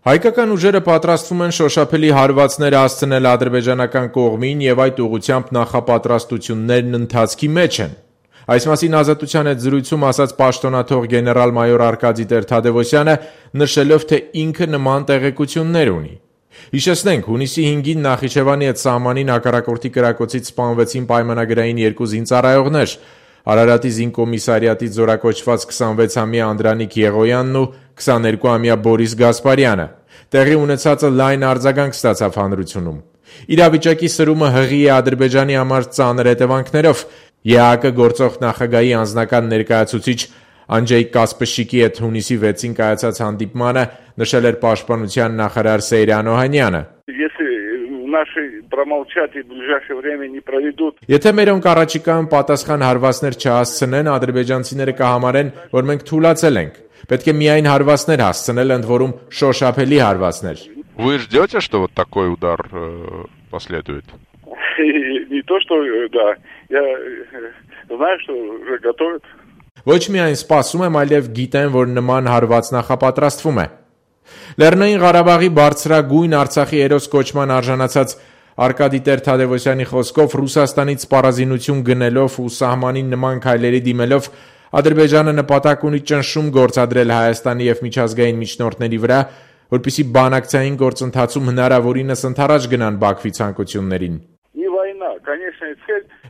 Հայկական ուժերը պատրաստվում են շոշափելի հարվածներ հասցնել ադրբեջանական կողմին եւ այդ ուղղությամբ նախապատրաստություններն ընթացքի մեջ են։ Այս մասին Ազատության հետ զրույցում ասաց պաշտոնաթող գեներալ-մայոր Արկադի Տեր-Թադևոսյանը, նշելով, թե ինքը նման տեղեկություններ ունի։ Հիշեցնենք, հունիսի 5-ին Նախիջևանի հետ սահմանին հակառակորդի կրակոցից սպանվեցին պայմանագրային 2 զինծառայողներ՝ Արարատի զինկոմիսարիատից զորակոչված 26-ամյա Անդրանիկ Եղոյանն ու 22-ամյա Բորիս Գասպարյանը։ Տեղի ունեցածը լայն արձագանք ստացավ հանրությունում։ Իրավիճակի սրումը հղի է Ադրբեջանի համար ծանր հետևանքներով։ ԵԱՀԿ գործող նախագահի անձնական ներկայացուցիչ Անջեյ Կասպշիկի հետ հունիսի 6-ին կայացած հանդիպմանը նշել էր պաշտպանության նախարար Սեյրան Օհանյանը։ Եթե մերոնք առաջիկայում պատասխան հարվածներ չհասցնեն, ադրբեջանցիները կհամարեն, որ մենք թուլացել ենք։ Պետք է միայն հարվածներ հասցնել, ընդ որում շոշափելի հարվածներ։ Вы ждете, что вот такой удар последует? Не то, что да. Я знаю, что уже готовят. Ոչ միայն սպասում եմ, այլև գիտեմ, որ նման հարված նախապատրաստվում է։ Լեռնային Ղարաբաղի բարձրագույն Արցախի հերոս կոչման արժանացած Արկադի Տեր-Թադևոսյանի խոսքով Ռուսաստանից սպառազինություն գնելով ու սահմանին նման քայլերի դիմելով Ադրբեջանը նպատակ ունի ճնշում գործադրել Հայաստանի եւ միջազգային միջնորդների վրա, որպեսզի բանակցային գործընթացում հնարավորինս ընդառաջ գնան Բաքվի ցանկություններին։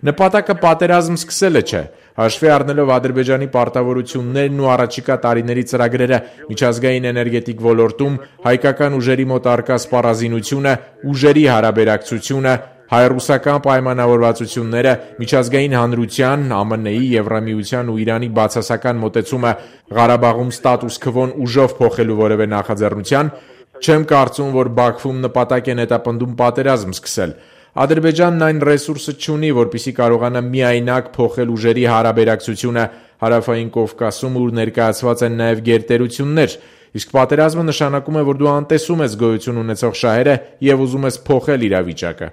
Նպատակը պատերազմ սկսելը չէ, հաշվի առնելով Ադրբեջանի պարտավորություններն ու առաջիկա տարիների ծրագրերը միջազգային էներգետիկ ոլորտում, հայկական ուժերի մոտ առկա սպառազինությունը, ուժերի հարաբերակցությունը, հայ-ռուսական պայմանավորվածությունները, միջազգային հանրության, ԱՄՆ-ի, Եվրամիության ու Իրանի բացասական մոտեցումը Ղարաբաղում ստատուս քվոն ուժով փոխելու որևէ նախաձեռնության, չեմ կարծում, որ Բաքվում նպատակ են հետապնդում պատերազմ սկսել։ Ադրբեջանն այն ռեսուրսը չունի, որպեսզի կարողանա միայնակ փոխել ուժերի հարաբերակցությունը Հարավային Կովկասում, ուր ներկայացված են նաև գերտերություններ, իսկ պատերազմը նշանակում է, որ դու անտեսում ես գոյություն ունեցող շահերը եւ ուզում ես փոխել իրավիճակը։